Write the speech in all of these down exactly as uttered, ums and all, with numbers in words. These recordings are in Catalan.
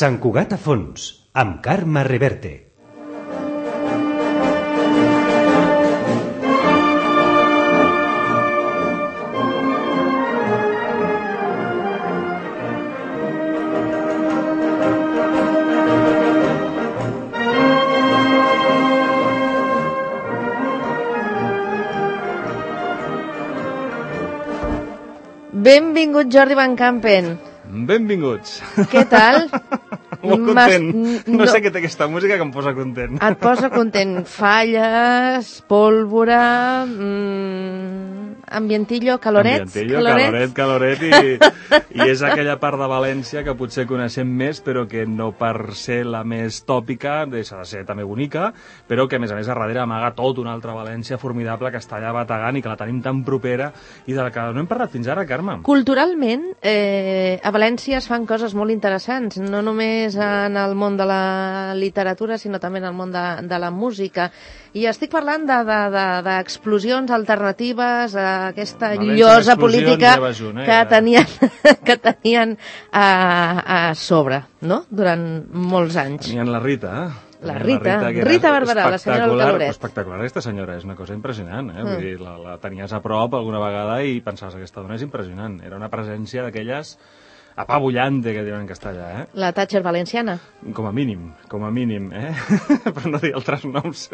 Sant Cugat a fons, amb Carme Reverte. Benvingut, Jordi Van Campen. Benvinguts. Què tal? Molt content. No, no sé què té aquesta música que em posa content. Et posa content. Falles, pólvora, mmm, ambientillo, caloret. Ambientillo, caloret, caloret, i, i és aquella part de València que potser coneixem més, però que no per ser la més tòpica, deixa de ser també bonica, però que a més a més a darrere amaga tot una altra València formidable que està allà bategant i que la tenim tan propera i de la que no hem parlat fins ara, Carme. Culturalment, eh, a València es fan coses molt interessants, no només en el món de la literatura, sinó també en el món de, de la música. I estic parlant d'explosions de, de, alternatives a aquesta València, llosa política ja junt, eh? que tenien, que tenien a, a sobre, no?, durant molts anys. Tenien la Rita, eh? La Rita, la Rita, Rita Barberà, la senyora del Caloret. Espectacular, aquesta senyora és una cosa impressionant, eh? Mm. Vull dir, la, la tenies a prop alguna vegada i pensaves que aquesta dona és impressionant. Era una presència d'aquelles apabullante, que diuen en castellà, eh? La Thatcher valenciana. Com a mínim, com a mínim, eh? Per no dir altres noms.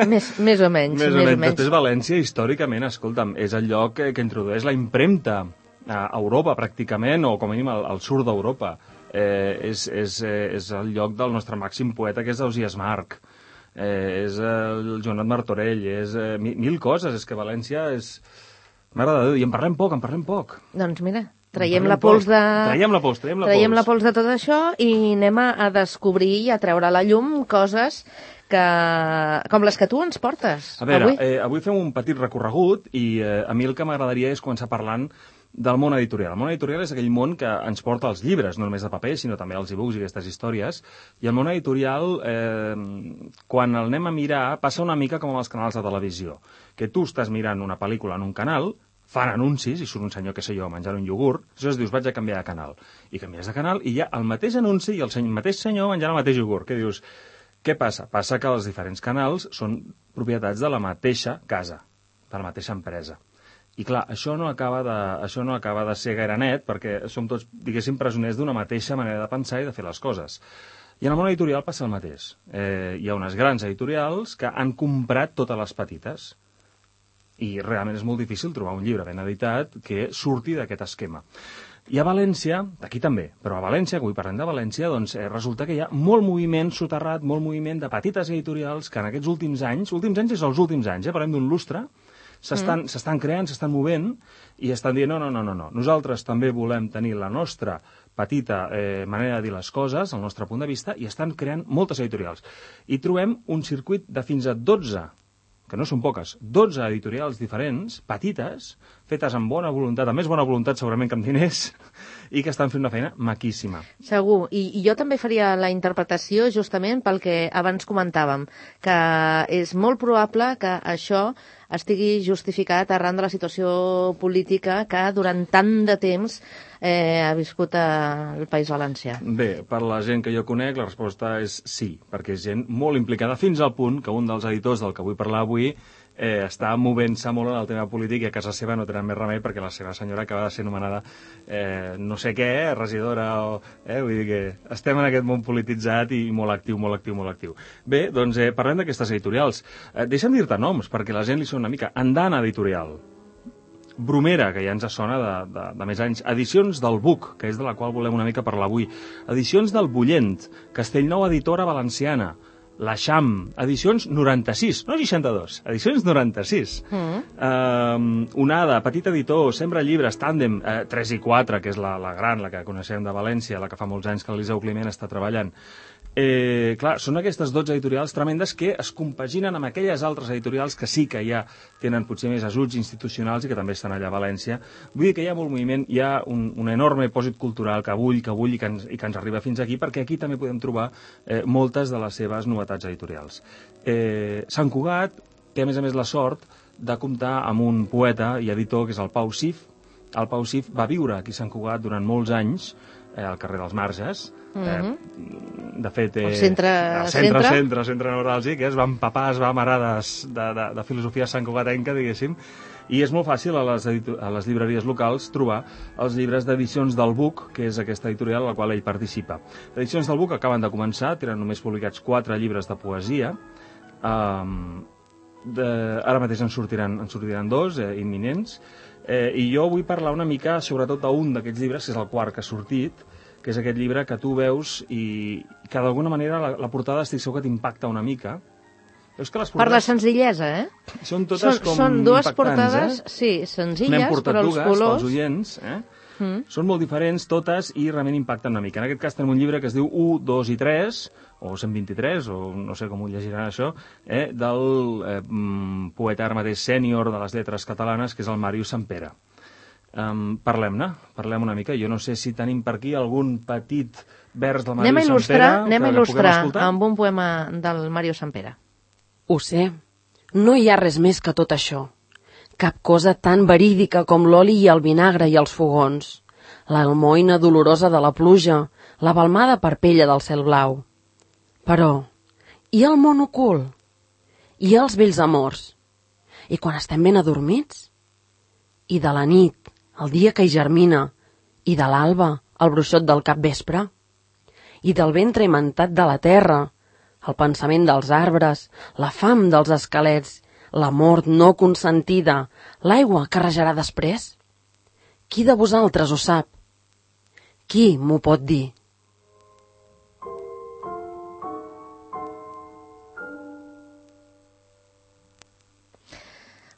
Més, més o menys. Més o menys. Després València, històricament, escolta'm, és el lloc que, que introdueix la impremta a Europa, pràcticament, o com a mínim al, al sud d'Europa. Eh, és, és, eh, és el lloc del nostre màxim poeta, que és Ausiàs Marc. Eh, és el Joanot Martorell, és eh, mil, mil coses. És que València és... Mare de Déu, i en parlem poc, en parlem poc. Doncs mira... Traiem la pols de... Traiem la pols, traiem la traiem pols. la pols de tot això i anem a descobrir i a treure a la llum coses que... com les que tu ens portes. A veure, avui, eh, avui fem un petit recorregut i eh, a mi el que m'agradaria és començar parlant del món editorial. El món editorial és aquell món que ens porta els llibres, no només de paper, sinó també els e-books i aquestes històries. I el món editorial, eh, quan el anem a mirar, passa una mica com amb els canals de televisió. Que tu estàs mirant una pel·lícula en un canal, fan anuncis, i surt un senyor, que sé jo, menjant un iogurt, aleshores dius, vaig a canviar de canal. I canvies de canal i hi ha el mateix anunci i el senyor, mateix senyor menjant el mateix iogurt. Què dius? Què passa? Passa que els diferents canals són propietats de la mateixa casa, de la mateixa empresa. I clar, això no acaba de, això no acaba de ser gaire net, perquè som tots, diguéssim, presoners d'una mateixa manera de pensar i de fer les coses. I en el món editorial passa el mateix. Eh, hi ha unes grans editorials que han comprat totes les petites. I realment és molt difícil trobar un llibre ben editat que surti d'aquest esquema. I a València, aquí també, però a València, que avui parlem de València, doncs eh, resulta que hi ha molt moviment soterrat, molt moviment de petites editorials que en aquests últims anys, últims anys és els últims anys, eh, parlem d'un lustre, s'estan mm. creant, s'estan movent i estan dient, no, no, no, no, no, nosaltres també volem tenir la nostra petita eh, manera de dir les coses, el nostre punt de vista, i estan creant moltes editorials. I trobem un circuit de fins a dotze, que no són poques, dotze editorials diferents, petites, fetes amb bona voluntat, amb més bona voluntat segurament que amb diners, i que estan fent una feina maquíssima. Segur, I, i jo també faria la interpretació justament pel que abans comentàvem, que és molt probable que això estigui justificat arran de la situació política que durant tant de temps eh, ha viscut al País Valencià. Bé, per la gent que jo conec, la resposta és sí, perquè és gent molt implicada fins al punt que un dels editors del que vull parlar avui eh, està movent-se molt en el tema polític i a casa seva no tenen més remei perquè la seva senyora acaba de ser anomenada eh, no sé què, regidora o... Eh, vull dir que estem en aquest món polititzat i molt actiu, molt actiu, molt actiu. Bé, doncs eh, parlem d'aquestes editorials. Eh, deixa'm dir-te noms, perquè la gent li sona una mica. Andana Editorial, Bromera, que ja ens sona de, de, de més anys, Edicions del Buc, que és de la qual volem una mica parlar avui, Edicions del Bullent, Castellnou Editora Valenciana, l'Eixam, edicions noranta-sis, no seixanta-dos, edicions noranta-sis. Mm. Uh, Onada, petit editor, Sembra Llibres, Tàndem, uh, tres i quatre, que és la, la gran, la que coneixem de València, la que fa molts anys que l'Eliseu Climent està treballant. Eh, clar, són aquestes dotze editorials tremendes que es compaginen amb aquelles altres editorials que sí que ja tenen potser més ajuts institucionals i que també estan allà a València. Vull dir que hi ha molt moviment, hi ha un, un enorme pòsit cultural que bull, que bull i que, ens, i que ens arriba fins aquí, perquè aquí també podem trobar eh, moltes de les seves novetats editorials. Eh, Sant Cugat té a més a més la sort de comptar amb un poeta i editor que és el Pau Sif. El Pau Sif va viure aquí a Sant Cugat durant molts anys, eh, al carrer dels Marges. Mm-hmm. eh, de fet, eh, el centre, el centre, centre, centre, centre neuràlgic, eh, es va empapar, es va amarar de, de, de, de filosofia santcugatenca, diguéssim, i és molt fàcil a les, a les llibreries locals trobar els llibres d'edicions del Buc, que és aquesta editorial a la qual ell participa. Les edicions del Buc acaben de començar, tenen només publicats quatre llibres de poesia. Um, de, ara mateix en sortiran, en sortiran dos, eh, imminents, eh, i jo vull parlar una mica sobretot d'un d'aquests llibres, que és el quart que ha sortit, que és aquest llibre que tu veus i que d'alguna manera la, la portada estic segur que t'impacta una mica. Veus que les portades... Per la senzillesa, eh? Són totes són, com són dues impactants, portades, eh? sí, senzilles, però els colors... pels oients, eh? Mm. Són molt diferents totes i realment impacten una mica. En aquest cas tenim un llibre que es diu u, dos i tres, o cent vint-i-tres, o no sé com ho llegiran això, eh? del eh, poeta ara mateix sènior de les lletres catalanes, que és el Màrius Sampere. Um, parlem-ne, parlem una mica. Jo no sé si tenim per aquí algun petit vers del Màrius Sampere. Anem a il·lustrar amb un poema del Màrius Sampere. Ho sé, no hi ha res més que tot això. Cap cosa tan verídica com l'oli i el vinagre i els fogons, l'almoina dolorosa de la pluja, la balmada parpella del cel blau. Però, i el món ocult? I els vells amors? I quan estem ben adormits? I de la nit, el dia que hi germina, i de l'alba, el bruixot del capvespre? I del ventre imantat de la terra, el pensament dels arbres, la fam dels esquelets, la mort no consentida, l'aigua que rajarà després? Qui de vosaltres ho sap? Qui m'ho pot dir?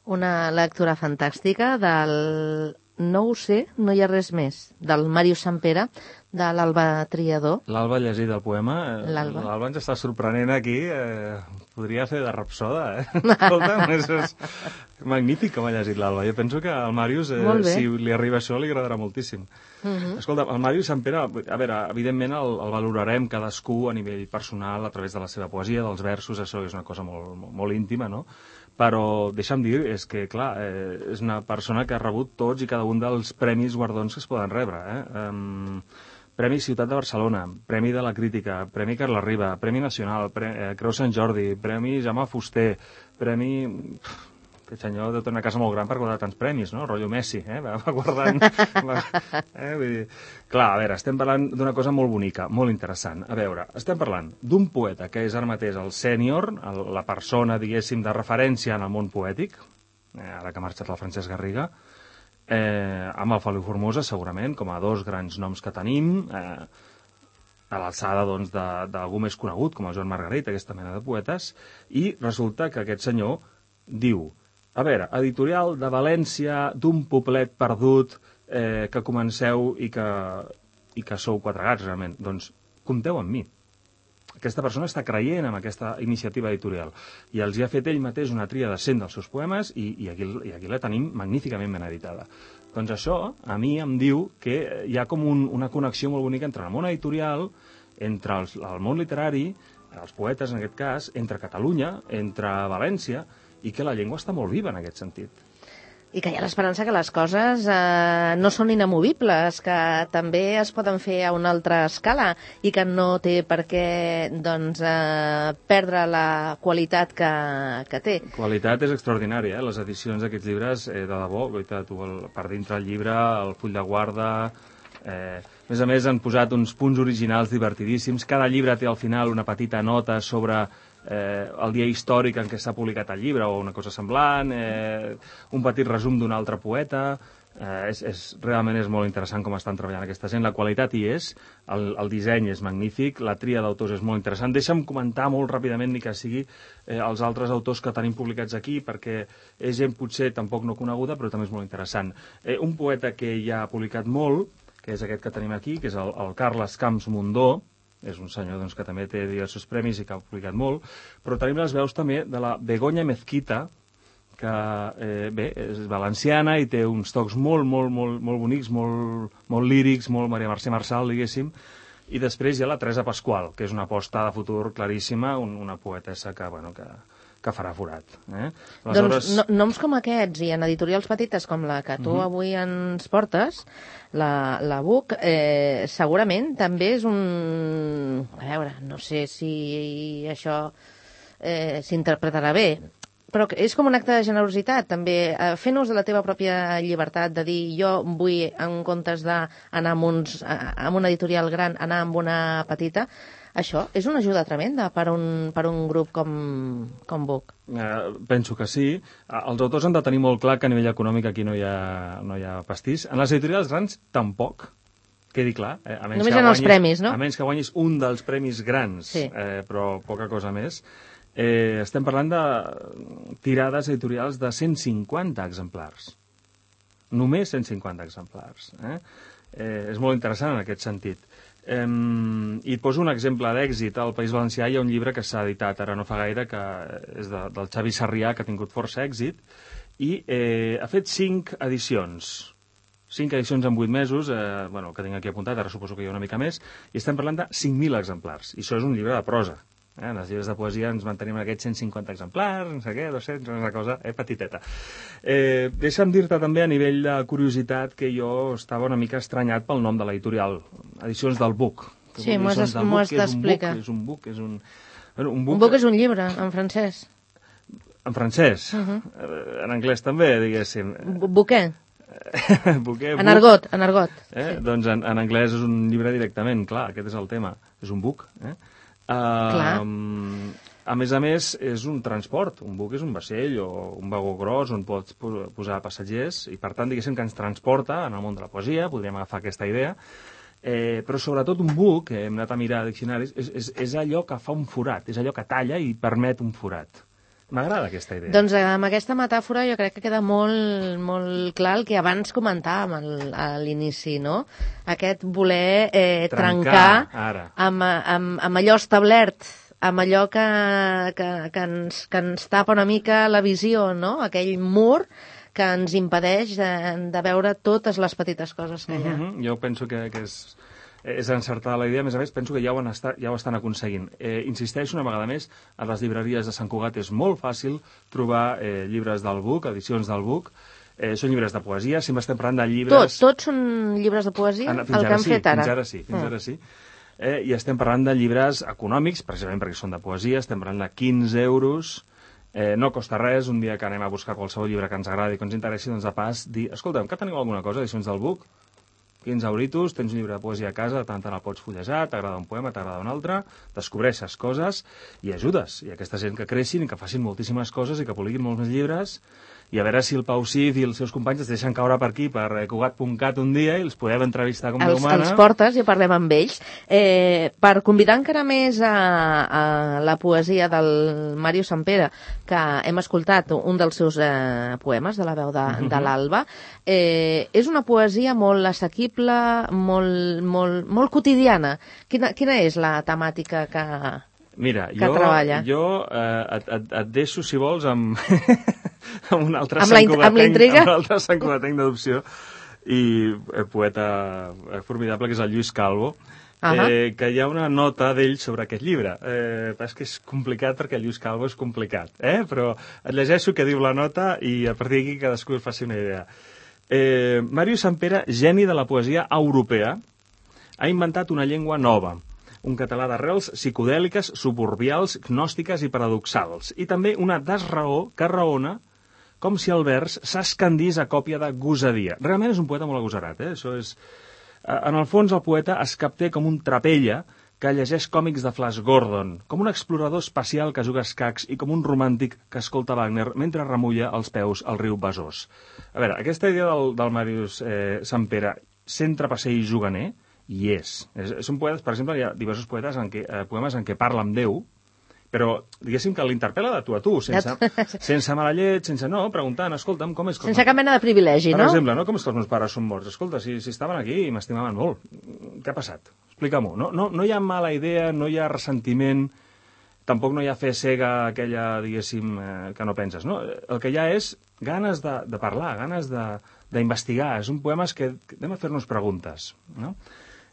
Una lectura fantàstica del No ho sé, no hi ha res més, del Màrius Sampere, de l'Alba Triador. L'Alba ha llegit el poema. L'Alba. L'Alba ens està sorprenent aquí. Eh, podria fer de rapsoda, eh? Escolta, és, és magnífic com ha llegit l'Alba. Jo penso que al Màrius, eh, si li arriba això, li agradarà moltíssim. Uh-huh. Escolta, el Màrius Sampere, a veure, evidentment el, el valorarem cadascú a nivell personal a través de la seva poesia, dels versos, això és una cosa molt, molt, molt íntima, no? Però deixa'm dir, és que, clar, eh, és una persona que ha rebut tots i cada un dels premis guardons que es poden rebre. Eh? Um, Premi Ciutat de Barcelona, Premi de la Crítica, Premi Carles Riba, Premi Nacional, Pre eh, Creu Sant Jordi, Premi Jaume Fuster, Premi... Aquest senyor deu tenir una casa molt gran per guardar tants premis, no? Rotllo Messi, eh? Va, va guardant... va, eh? Vull dir... Clar, a veure, estem parlant d'una cosa molt bonica, molt interessant. A veure, estem parlant d'un poeta que és ara mateix el sènior, la persona, diguéssim, de referència en el món poètic, eh, ara que ha marxat el Francesc Garriga, eh, amb el Feliu Formosa, segurament, com a dos grans noms que tenim, eh, a l'alçada doncs, d'algú més conegut, com el Joan Margarit, aquesta mena de poetes, i resulta que aquest senyor diu: a veure, editorial de València, d'un poblet perdut, eh, que comenceu i que, i que sou quatre gats, realment. Doncs compteu amb mi. Aquesta persona està creient en aquesta iniciativa editorial i els hi ha fet ell mateix una tria de cent dels seus poemes i, i, aquí, i aquí la tenim magníficament ben editada. Doncs això a mi em diu que hi ha com un, una connexió molt bonica entre el món editorial, entre els, el món literari, els poetes en aquest cas, entre Catalunya, entre València, i que la llengua està molt viva en aquest sentit. I que hi ha l'esperança que les coses eh, no són inamovibles, que també es poden fer a una altra escala i que no té per què doncs, eh, perdre la qualitat que, que té. Qualitat és extraordinària, eh? Les edicions d'aquests llibres, eh, de debò, tu, el, per dintre el llibre, el full de guarda... Eh, a més a més han posat uns punts originals divertidíssims. Cada llibre té al final una petita nota sobre eh, el dia històric en què s'ha publicat el llibre o una cosa semblant, eh, un petit resum d'un altre poeta. Eh, és, és, realment és molt interessant com estan treballant aquesta gent. La qualitat hi és, el, el disseny és magnífic, la tria d'autors és molt interessant. Deixa'm comentar molt ràpidament, ni que sigui eh, els altres autors que tenim publicats aquí, perquè és gent potser tampoc no coneguda, però també és molt interessant. Eh, un poeta que ja ha publicat molt, que és aquest que tenim aquí, que és el, el Carles Camps Mundó, és un senyor doncs, que també té diversos premis i que ha publicat molt, però tenim les veus també de la Begoña Mezquita, que eh, bé, és valenciana i té uns tocs molt, molt, molt, molt bonics, molt, molt lírics, molt Maria Mercè Marçal, diguéssim, i després hi ha la Teresa Pasqual, que és una aposta de futur claríssima, un, una poetessa que, bueno, que, que farà forat. Eh? Aleshores... Doncs no, noms com aquests i en editorials petites com la que tu uh -huh. avui ens portes, la, la Buc, eh, segurament també és un... A veure, no sé si això eh, s'interpretarà bé, però és com un acte de generositat, també, eh, fent ús de la teva pròpia llibertat, de dir, jo vull, en comptes d'anar amb, uns, amb una editorial gran, anar amb una petita. Això és una ajuda tremenda per un, per un grup com, com Buc. Eh, penso que sí. Els autors han de tenir molt clar que a nivell econòmic aquí no hi ha, no hi ha pastís. En les editorials grans, tampoc, quedi clar. Eh? A menys Només que en guanyis, els premis, no? A menys que guanyis un dels premis grans, sí. eh, però poca cosa més. Eh, estem parlant de tirades editorials de cent cinquanta exemplars. Només cent cinquanta exemplars. Eh? Eh, és molt interessant en aquest sentit. Um, I et poso un exemple d'èxit. Al País Valencià hi ha un llibre que s'ha editat ara no fa gaire, que és de, del Xavi Sarrià, que ha tingut força èxit, i eh, ha fet cinc edicions. Cinc edicions en vuit mesos, eh, bueno, que tinc aquí apuntat, ara suposo que hi ha una mica més, i estem parlant de cinc mil exemplars. I això és un llibre de prosa. Eh? En els llibres de poesia ens mantenim en aquests cent cinquanta exemplars, no sé què, dos-cents, una cosa eh, petiteta. Eh, deixa'm dir-te també, a nivell de curiositat, que jo estava una mica estranyat pel nom de l'editorial, Edicions del Buc. Sí, m'ho has d'explicar. És un buc, és un... Bueno, un, buc... un buc és un llibre, en francès. En francès? Uh -huh. En anglès també, diguéssim. Buquer. Buquer, en argot, en argot. Eh? Sí. Doncs en, en anglès és un llibre directament, clar, aquest és el tema. És un buc, eh? Uh, a més a més, és un transport. Un buc és un vaixell o un vagó gros on pots posar passatgers i, per tant, diguéssim que ens transporta en el món de la poesia, podríem agafar aquesta idea, eh, però sobretot un buc, eh, hem anat a mirar diccionaris, és, és, és allò que fa un forat, és allò que talla i permet un forat. M'agrada aquesta idea. Doncs amb aquesta metàfora jo crec que queda molt, molt clar el que abans comentàvem al, a l'inici, no? Aquest voler eh, trencar, trencar amb, amb, amb allò establert, amb allò que, que, que, ens, que ens tapa una mica la visió, no? Aquell mur que ens impedeix de, de veure totes les petites coses que hi ha. Uh-huh. Jo penso que, que és... és encertada la idea, a més a més penso que ja ho, estat, ja ho estan aconseguint. Eh, insisteixo una vegada més, a les llibreries de Sant Cugat és molt fàcil trobar eh, llibres del Buc, edicions del Buc, eh, són llibres de poesia, sempre estem parlant de llibres... Tots, tots són llibres de poesia, en, el que han sí, fet ara. Fins ara sí, fins mm. ara sí. Eh, I estem parlant de llibres econòmics, precisament perquè són de poesia, estem parlant de quinze euros, eh, no costa res, un dia que anem a buscar qualsevol llibre que ens agradi, que ens interessi, doncs de pas dir, escolta'm, que teniu alguna cosa, edicions del Buc? quinze euritos, tens un llibre de poesia a casa, tant te la pots fullejar, t'agrada un poema, t'agrada un altre, descobreixes coses i ajudes. I aquesta gent que creixin i que facin moltíssimes coses i que publiquin molts més llibres, i a veure si el Pau Cid i els seus companys es deixen caure per aquí, per cugat punt cat un dia, i els podem entrevistar com Déu mana. Els portes i parlem amb ells. Eh, per convidar encara més a, a la poesia del Màrius Sampere, que hem escoltat un dels seus eh, poemes de la veu de, uh-huh. de l'Alba, eh, és una poesia molt assequible, molt, molt, molt quotidiana. Quina, quina és la temàtica que, Mira, que jo, treballa? Jo eh, et, et, et deixo, si vols, amb... amb un altre amb, la, amb la intriga? Amb l'altre Sant Cugatenc d'adopció i eh, poeta eh, formidable, que és el Lluís Calvo, uh -huh. eh, que hi ha una nota d'ell sobre aquest llibre. Eh, és que és complicat perquè el Lluís Calvo és complicat, eh? Però et llegeixo què diu la nota i a partir d'aquí cadascú es faci una idea. Eh, Màrius Sampere, geni de la poesia europea, ha inventat una llengua nova, un català d'arrels psicodèliques, suburbials, gnòstiques i paradoxals, i també una desraó que raona com si el vers s'escandís a còpia de gosadia. Realment és un poeta molt agosarat, eh? Això és... En el fons, el poeta es capté com un trapella que llegeix còmics de Flash Gordon, com un explorador espacial que juga escacs i com un romàntic que escolta Wagner mentre remulla els peus al riu Besòs. A veure, aquesta idea del, del Màrius eh, Sampere, centre passeig juganer, hi és. és. Són poetes, per exemple, hi ha diversos poetes en què, eh, poemes en què parla amb Déu, però diguéssim que l'interpel·la de tu a tu, sense, sense mala llet, sense no, preguntant, escolta'm, com és... Com... Sense cap mena de privilegi, per no? Per exemple, no? Com és que els meus pares són morts? Escolta, si, si estaven aquí i m'estimaven molt, què ha passat? Explica-m'ho. No, no, no hi ha mala idea, no hi ha ressentiment, tampoc no hi ha fe cega aquella, diguéssim, eh, que no penses, no? El que hi ha és ganes de, de parlar, ganes d'investigar. És un poema que anem a fer-nos preguntes, no?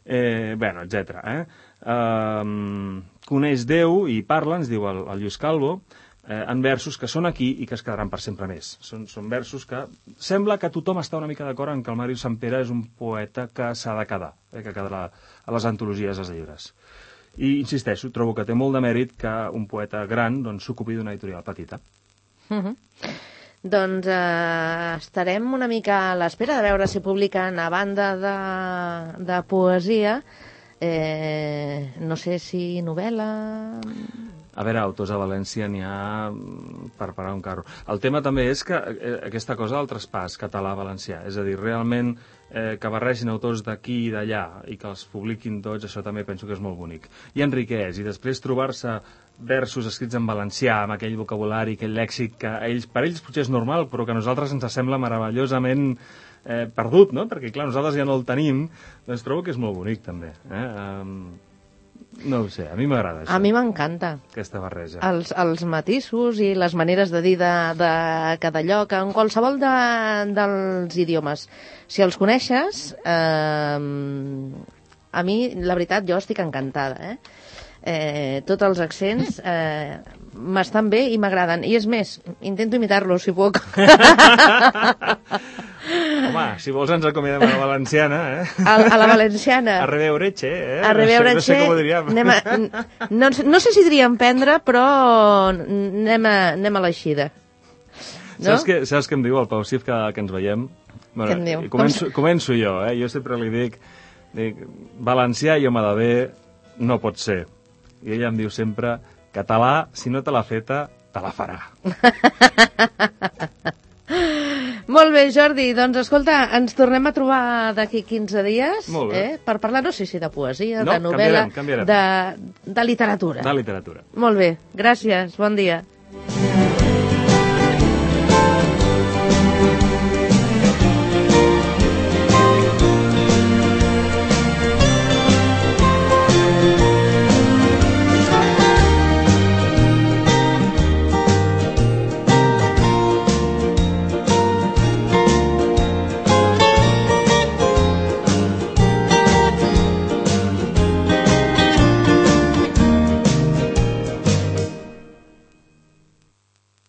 Eh, bueno, etcètera. Eh? Um, coneix Déu i parla, ens diu el, el Lluís Calvo, eh, en versos que són aquí i que es quedaran per sempre més. Són, són versos que sembla que tothom està una mica d'acord en que el Màrius Sampere és un poeta que s'ha de quedar, eh, que quedarà a les antologies dels llibres. I insisteixo, trobo que té molt de mèrit que un poeta gran doncs, s'ocupi d'una editorial petita. Uh -huh. Doncs eh, estarem una mica a l'espera de veure si publiquen, a banda de, de poesia, eh, no sé si novel·la... A veure, autors a València n'hi ha per parar un carro. El tema també és que eh, aquesta cosa del traspàs català-valencià, és a dir, realment eh, que barregin autors d'aquí i d'allà i que els publiquin tots, això també penso que és molt bonic. I enriqueix, i després trobar-se versos escrits en valencià, amb aquell vocabulari, aquell lèxic que a ells, per ells potser és normal, però que a nosaltres ens sembla meravellosament eh, perdut, no? Perquè, clar, nosaltres ja no el tenim, doncs trobo que és molt bonic, també. Eh? Um, no ho sé, a mi m'agrada això. A mi m'encanta. Aquesta barreja. Els, els matisos i les maneres de dir de, de cada lloc, en qualsevol de, dels idiomes. Si els coneixes, eh, a mi, la veritat, jo estic encantada, eh? Eh, tots els accents eh, m'estan bé i m'agraden. I és més, intento imitar-los, si puc. Home, si vols ens acomiadem a la valenciana, eh? A, a la valenciana. A reveureche, eh? A reveureche. No sé, no sé com ho diríem. Anem a, no, no sé si diríem prendre, però anem a, anem a l'eixida. No? Saps, què, saps què em diu el Pau Cif que, que ens veiem? Bueno, què em diu? Començo, començo jo, eh? Jo sempre li dic, dic valencià i home de bé no pot ser. I ella em diu sempre, català, si no te l'ha feta, te la farà. Molt bé, Jordi. Doncs, escolta, ens tornem a trobar d'aquí quinze dies eh, per parlar, no sé si de poesia, no, de novel·la, canviarem, canviarem. De, de literatura. De literatura. Molt bé. Gràcies. Bon dia.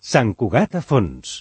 Sant Cugat a fons.